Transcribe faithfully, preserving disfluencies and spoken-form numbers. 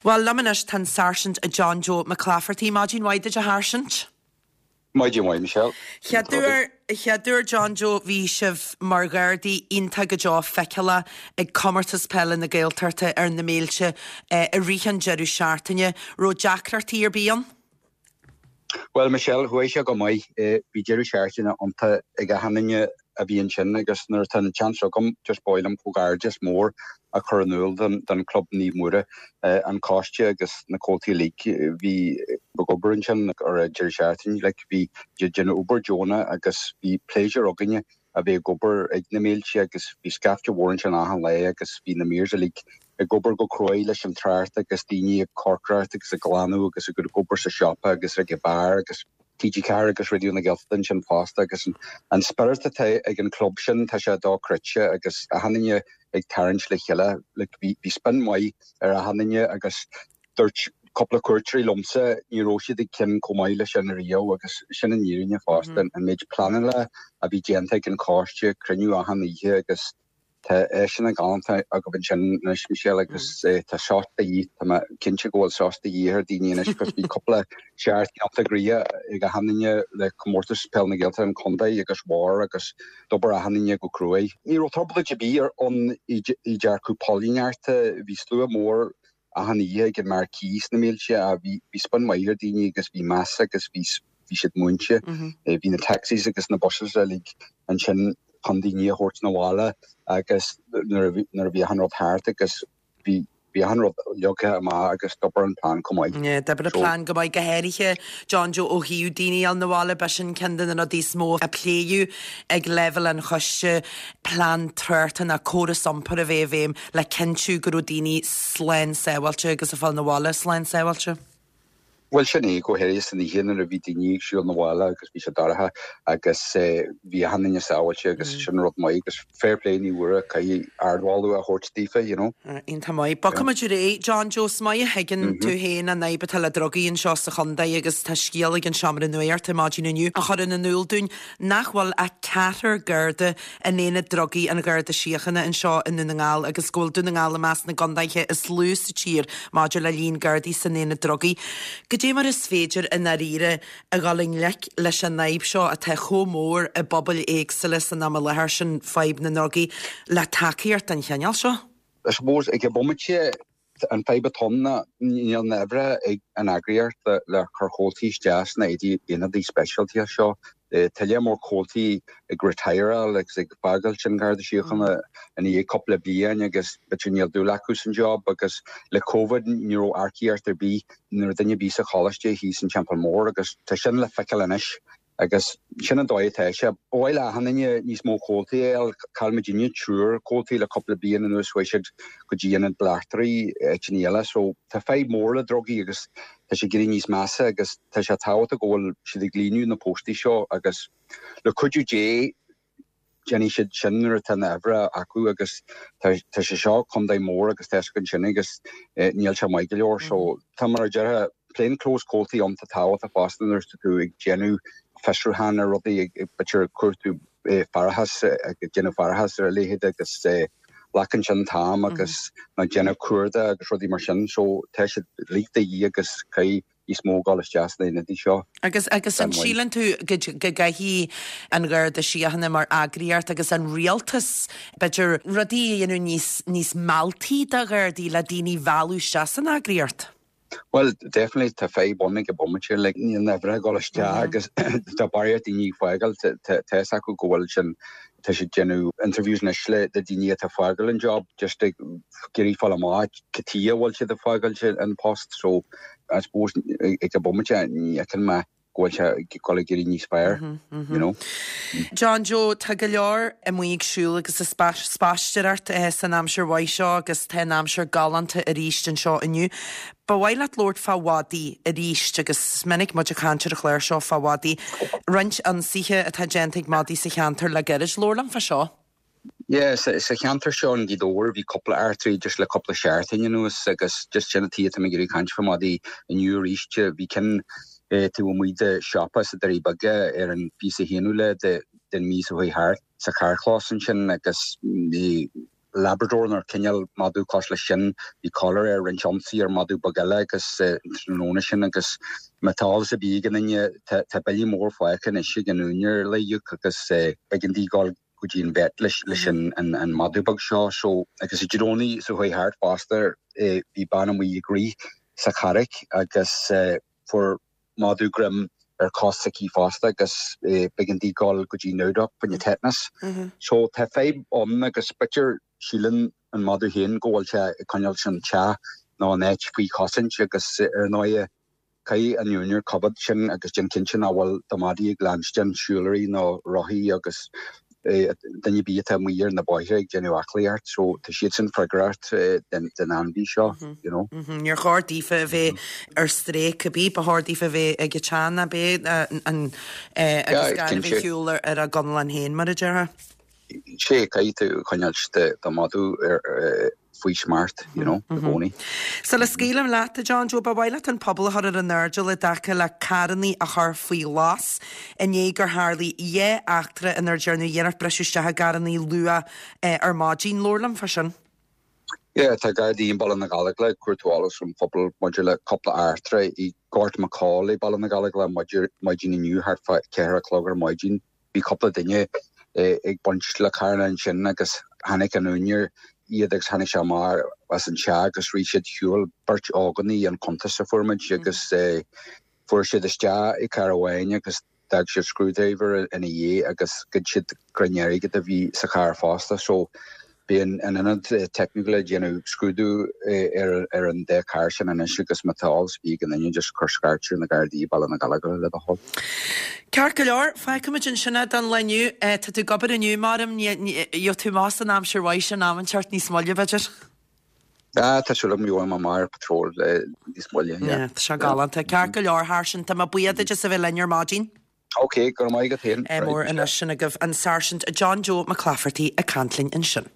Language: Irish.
Well liom anois tá an Sáirsint John Joe McClafferty maidin mhaith duit a Sháirsint. Maidin mhaith Michelle. Chéad John Joe bhí sibh mar Ghardaí iontach go deo feiceálach ag comórtas peile na Gaeltachta ar na Méilte i rith an deireadh seachtaine, raibh deacrachtaí ar bith ann? Well Michelle chuaigh sé go maith bhí deireadh seachtaine iontach ag achan duine a bhí ansin agus nuair atá an chance agam just ba mhaith liom comhghairdeas mór a chur in iúl don don club Naomh Muire an coiste agus na comhaltaí uilig bhí ag obair ansin ar an deireadh seachtaine like bhí déanamh obair deonach agus bhí pléisiúr againne a bheith ag obair ag na Méilte agus bhí scaifte mhór ansin achan lá agus bhí na maors uilig ag obair go cruaidh leis an trácht agus daoine ag cócaireacht agus ag glanadh agus ag obair sa siopa agus ag an beár agus TG Ceathair agus Raidió na Gaeltachta ansin fosta agus an, an spirit atá ag an club sin tá sé dochreidte agus achan duine ag tarraingt le chéile like, bhí bhí spion maith ar achan duine agus dúirt cúpla cuairteoirí liomsa ní raibh siad ag cinn chomh maith leis sin riamh agus sin an fhírinne fosta mm. an méid pleanála a bhí déanta ag an choiste cruinniú achan oíche agus Tá sin galánta agaibh ansin anois Michelle agus mm. tá sos de dhíth Tá cinnte go bhfuil sos de dhíth ar daoine anois cos bhí cúpla seachtain iontach gnoitheach ag achan duine le comórtas peil na Gaeltachta an chontae agus bhar agus d'obair achan duine go cruaidh. Ní raibh trioblóid ar bith ann i dearcadh póilíneachta bhí slua mór achan oíche ag an marquee sna Méilte a bhí bhí spion maith ar daoine agus bhí meas agus bhí bhí siad múinte. Bhí na taxis agus na buses uilig ansin chun daoine a thabhairt na bhaile agus nuair a bhí an rud thart agus bhí bhí an rud leagtha amach agus d'obair an plean go maith. D'oibrigh an plean go maith go háirithe John Joe ó thaobh daoine a fháil na bhaile b'shin ceann de na rudaí is mó a pléadh ag leibhéal an choiste plean tráchta ná córas iompair a bheith i bhfeidhm le cinntiú go raibh daoine slán sábháilte agus ag fáil na bhaile slán sábháilte. Well sin é go háirithe san oíche nuair a bhí daoine ag siúl na bhaile agus bhí sé dorcha agus bhí achan duine sábháilte agus sin rud maith agus fair play Naomh Muire caithfidh ardmholadh a thabhairt daofa you know. Iontach maith. Bogfaimid ar aghaidh John Joe is maith a thuigeann tú féin an fhadhb atá le drugaí anseo sa chontae agus tá scéal ag an seomra nuachta maidin inniu a chuireann in iúl dúinn nach bhfuil ach ceathrar Garda in aonad drugaí an Gharda Síochána anseo i nDún na nGall agus go bhfuil Dún na nGall i measc na gcontaetha is lú sa tír maidir le líon Gardaí san aonad drugaí. Goidé mar is féidir i ndáiríre a dhul i ngleic leis an fhadhb seo atá chomh mór i bpobail éagsúla san am i láthair sin fadhb na ndrugaí le tacaíocht den chineál seo? I suppose ag an bomaite an fadhb atá ann ná níl na huimhreacha ag an eagraíocht le, le cur comhaltaí isteach sna aonadaí speisialta seo. Tá lear mór comhaltaí ag retireáil agus ag fágáil an Garda Síochána ina dhiaidh cúpla bliain agus b'fhéidir níl dúil acu san job agus le COVID ní raibh earcaíocht ar bith nuair duine bí sa choláiste thíos an Teampall Mór agus tá sin le feiceáil anois agus sin an dóigh atá sé. Ba mhaith le achan duine níos mó comhaltaí a fháil chaill muidinne triúr comhaltaí le cúpla bliain anuas chuaigh siad go dtí ionad Bleachtairí áiteanna eile, so tá fadhb mór le drugaí agus tá sé ag éirí níos measa agus tá sé tábhachtach go bhfuil siad ag líonadh na postaí seo agus le cuidiú Dé déanfaidh siad sin nuair atá na huimhreacha acu agus tá tá sé seo contae mór agus tá sin agus níl sé maith go leor so tá mar a déarfá plain clothes comhaltaí iontach tábhachtach fosta nuair atá tú ag déanamh fiosrúchán ar rudaí ag b'fhéidir cuartú faireachas ag déanamh faireachas ar a leithéid agus glacann sin t-am agus ná déanamh cuardach agus rudaí mar sin so tá siad uilig de dhíth agus caithfidh níos mó dul isteach sna haonaid seo. Agus agus an síleann tú go go gcaithfidh an Gharda Síochána mar eagraíocht agus an rialtas b'fhéidir rudaí a dhéanamh níos níos mealltaí do Ghardaí le daoine a mhealladh isteach san eagraíocht? Well, definitely tá fadhb ann ag an bomaite like níl na huimhreacha ag dul isteach agus tá barraíocht daoine ag fágáil tá acu go bhfuil sin tá siad déanamh interviews anois le le daoine atá fágáil an job just ag iarraidh fáil amach cad chuige a bhfuil siad ag fágáil an post so I suppose ag an bomaite ní fheiceann mé go bhfuil sé ag dul ag éirí níos fearr you know. John Joe tá go leor amuigh ag siúl agus ag spaisteoireacht san aimsir mhaith seo agus tá an aimsir galánta arís anseo inniu. Ba mhaith leat labhairt fá mhadaí arís agus minic muid ag caint ar an chlár seo fá mhadaí. Roinnt ionsaithe atá déanta ag madaí sa cheantar le gairid labhair liom fá seo. Yeah, sa, sa cheantar seo in Gaoth Dobhair bhí cúpla eachtraí just le cúpla seachtain anuas agus just sin an tuige atá mé ag iarraidh caint fá madaí inniu arís bhí ceann taobh amuigh de siopa sa Doirí Beaga ar an fiche haonú lá de den mhí seo chuaigh thart sa charrchlós ansin agus Labrador nó cineál madadh cosúil leis sin, bhí collar air, rinne ionsaí ar madadh beag eile agus an tráthnóna sin agus má tá eolas ar bith ag aon duine tá bille mór fágtha anois ag an úinéir le íoc agus b'éigean di dul go dtí an vet leis leis an an madadh beag seo so agus Dé Domhnaigh seo chuaigh thart fosta bhí bean amuigh ag rith sa charraig agus fuair madadh greim ar chos s'aici fosta agus b'éigean di dul go dtí Nowduck fá choinne tetanus. So tá fadhb ann agus b'fhéidir síleann an madadh féin go bhfuil sé ag coinneáil an teach nó an áit faoi chosaint agus ar ndóigh caithfidh an úinéir coimhéad sin agus déan cinnte nach bhfuil do mhadaí ag leanstan siúlóirí nó rothaí agus duine ar bith atá amuigh ar na bóithre ag déanamh aclaíocht so tá siadsan freagrach den den ainmhí seo you know. Níor chóir daofa a bheith ar strae cibé, ba chóir daofa a bheith ag an teach ná bé an agus gan a bheith ar shiúl ar a gconlán féin mar a déarfá. Sé caithfidh tú coinneáil do mhadadh ar faoi smacht, you know, i gcónaí. Sula scaoilim leat, a John Joe, ba mhaith leat an pobal a chur ar an airdeall i dtaca le carrannaí a chur faoi ghlas i ndiaidh gur tharlaigh dhá eachtra inar déanadh iarracht briseadh isteach i gcarrannaí luath ar maidin. Labhair liom fá sin. Yeah, tá Gardaí i mBaile na Gallóglach ag cuartú eolas ón phobal maidir le cúpla eachtra i Gort McCall i Baile na Gallóglach maidin inniu thart fá ceathair a chlog ar maidin. Bhí cúpla duine ag baint le carranna ansin agus tháinig an úinéir iad agus tháinig sé amach as an teach agus rith siad ar shiúl beirt ógánach an cuntas a fuair muid agus fuair siad isteach i carr amháin agus d'fhág siad screwdriver ina dhiaidh agus ghoid siad crann airgid a bhí sa charr fosta so bhí an ionad teicniúil ag déanamh scrúdú ar ar an dá charr sin anois agus má tá eolas ar bith ag aon duine just cuir scairt ar na Gardaí i Baile na Gallóglach le do thoil. Ceart go leor, fágfaimid ansin é don lá inniu. Tá tú ag obair inniu, maram, gheobhaidh tú amach san aimsir mhaith sin am inteacht níos moille, b'fhéidir? Ah, tá súil agam go mbeidh mé amach ar patrol níos moille, yeah. Tá sé galánta. Ceart go leor, Sháirsint, tá mé buíoch duit as a bheith linn ar maidin. Ok, go raibh maith agat féin. Mór anois sin agaibh an Sáirsint John Joe McClafferty ag caint linn ansin.